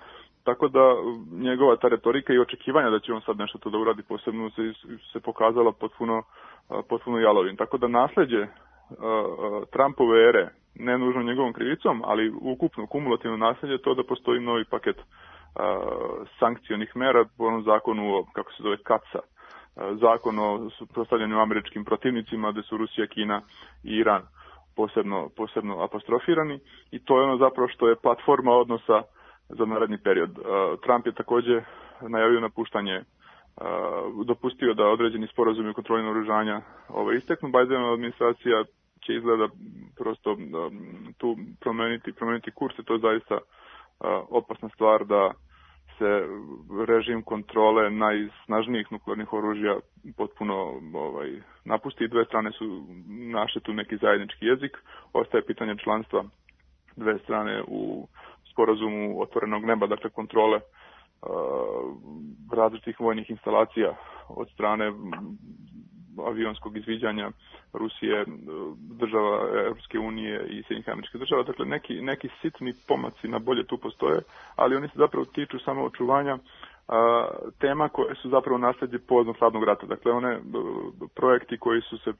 tako da njegova ta retorika i očekivanja da će on sad nešto to da uradi posebno se, se pokazala potpuno, potpuno jalovim. Tako da nasleđe Trumpove ere, ne nužno njegovom krivicom, ali ukupno kumulativno nasleđe to da postoji novi paket sankcionih mera po onom zakonu o, kako se zove, kaca, zakon o suprotstavljanju američkim protivnicima, gde su Rusija, Kina i Iran posebno, posebno apostrofirani, i to je ono zapravo što je platforma odnosa za naredni period. Trump je takođe najavio napuštanje, dopustio da određeni sporazumi o kontroli naoružanja ovaj, isteknu. Bidenova administracija će izgleda prosto tu promeniti, promeniti kurs, i to je zaista opasna stvar da se režim kontrole najsnažnijih nuklearnih oružja potpuno ovaj, napusti. Dve strane su našle tu neki zajednički jezik. Ostaje pitanje članstva dve strane u sporazumu otvorenog neba, dakle kontrole uh, različitih vojnih instalacija od strane avionskog izviđanja Rusije, država Europske unije i Sjedinjenih Američkih Država. Dakle, neki, neki sitni pomaci na bolje tu postoje, ali oni se zapravo tiču samo očuvanja a, tema koje su zapravo nasledđe povodom hladnog rata. Dakle, one a, projekti koji su se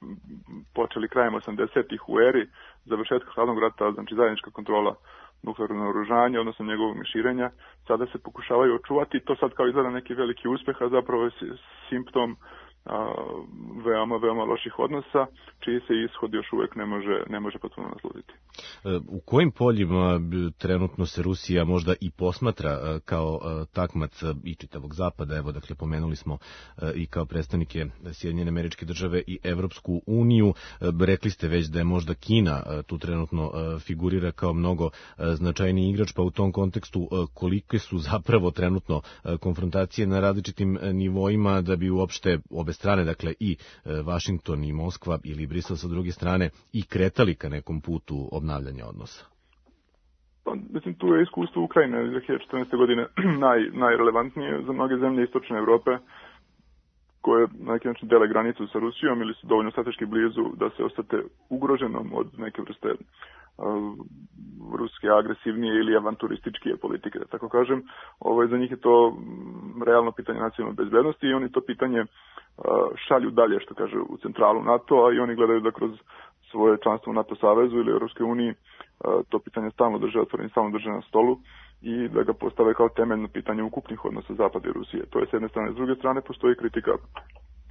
počeli krajem osamdesetih u eri završetka hladnog rata, znači zajednička kontrola nuklearnog naoružanja, odnosno njegovog širenja, sada se pokušavaju očuvati. To sad kao izgleda neki veliki uspeh, a zapravo je simptom a, veoma, veoma loših odnosa, čiji se ishod još uvek ne može, ne može potpuno nasluditi.
U kojim poljima trenutno se Rusija možda i posmatra kao takmac i čitavog zapada? Evo, dakle, pomenuli smo i kao predstavnike Sjedinjene Američke Države i Evropsku uniju. Rekli ste već da je možda Kina tu trenutno figurira kao mnogo značajniji igrač, pa u tom kontekstu kolike su zapravo trenutno konfrontacije na različitim nivoima da bi uopšte obe strane, dakle i Vašington i Moskva ili Brisel sa druge strane, i kretali ka nekom putu obnavljanja odnosa?
Pa, mislim, tu je iskustvo Ukrajine dve hiljade četrnaeste. godine naj, najrelevantnije za mnoge zemlje istočne Evrope, koje na neki način dele granicu sa Rusijom ili su dovoljno strateški blizu da se ostate ugroženom od neke vrste uh, ruske agresivnije ili avanturističke politike, da tako kažem. Ovo, za njih je to realno pitanje nacionalne bezbednosti i oni to pitanje uh, šalju dalje, što kaže, u centralu NATO-a, i oni gledaju da kroz svoje članstvo u NATO savezu ili Europskoj uniji uh, to pitanje stalno drže otvoreno, stalno drže na stolu i da ga postave kao temeljno pitanje ukupnih odnosa Zapada i Rusije. To je s jedne strane. S druge strane postoji kritika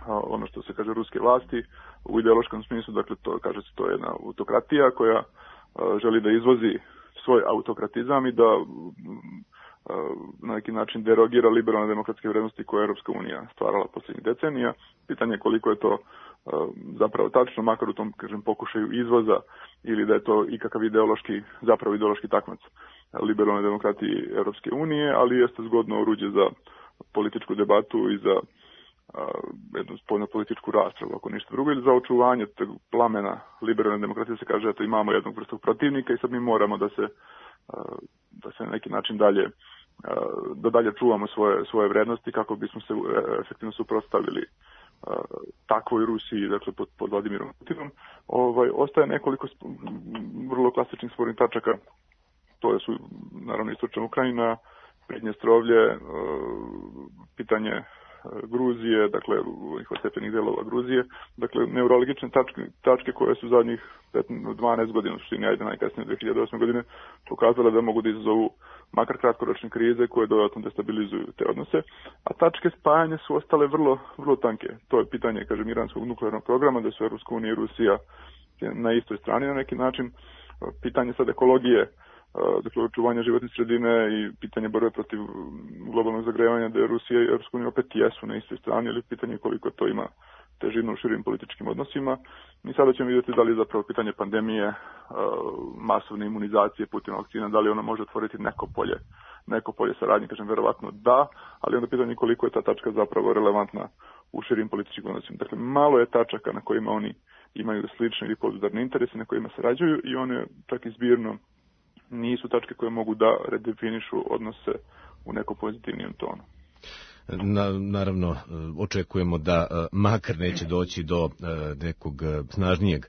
ono što se kaže ruske vlasti u ideološkom smislu, dakle to kaže se to je jedna autokratija koja želi da izvozi svoj autokratizam i da na neki način derogira liberalne demokratske vrednosti koje je Europska unija stvarala posljednjih decenija. Pitanje je koliko je to zapravo tačno, makar u tom, kažem, pokušaju izvoza ili da je to ikakav ideološki, zapravo ideološki takmac liberalne demokratije Europske unije, ali jeste zgodno oruđe za političku debatu i za jednu spoljno političku raspravu, ako ništa drugo, ili za očuvanje tog plamena liberalne demokratije. Se kaže, eto, imamo jednog vrstog protivnika i sad mi moramo da se da se na neki način dalje da dalje čuvamo svoje, svoje vrednosti kako bismo se efektivno suprotstavili takvoj Rusiji, dakle pod, pod Vladimirom Putinom. Ovaj, ostaje nekoliko vrlo klasičnih spornih tačaka. To su naravno istočna Ukrajina, Pridnjestrovlje, pitanje Gruzije, dakle ovih ostepenih delova Gruzije, dakle neurologične tačke, tačke koje su zadnjih dvanaest godina, u suštini ajde najkasnije dve hiljade osme godine, pokazale da mogu da izazovu makar kratkoročne krize koje dodatno destabilizuju te odnose, a tačke spajanja su ostale vrlo, vrlo tanke. To je pitanje, kažem, iranskog nuklearnog programa, da su Europska unija i Rusija na istoj strani na neki način. Pitanje sad ekologije, dakle očuvanja životne sredine i pitanje borbe protiv globalnog zagrevanja, da je Rusija i Europska unija opet jesu na istoj strani, ali pitanje koliko to ima težinu u širim političkim odnosima. I sada ćemo vidjeti da li je zapravo pitanje pandemije, masovne imunizacije putem vakcina, da li ona može otvoriti neko polje, neko polje saradnje, kažem, verovatno da, ali onda pitanje koliko je ta tačka zapravo relevantna u širim političkim odnosima. Dakle, malo je tačaka na kojima oni imaju slične ili podudarne interese, na kojima sarađuju i one čak i zbirno nisu tačke koje mogu da redefinišu odnose u nekom pozitivnijem tonu.
Na, naravno, očekujemo da makar neće doći do nekog snažnijeg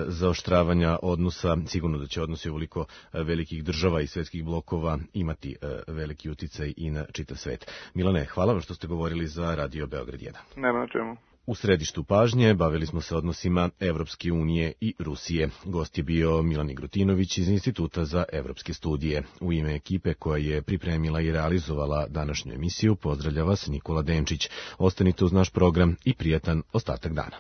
zaoštravanja odnosa. Sigurno da će odnosi ovoliko velikih država i svetskih blokova imati veliki uticaj i na čitav svet. Milane, hvala vam što ste govorili za Radio Beograd jedan.
Nema na čemu.
U središtu pažnje bavili smo se odnosima Evropske unije i Rusije. Gost je bio Milan Igrutinović iz Instituta za evropske studije. U ime ekipe koja je pripremila i realizovala današnju emisiju pozdravlja vas Nikola Denčić. Ostanite uz naš program i prijatan ostatak dana.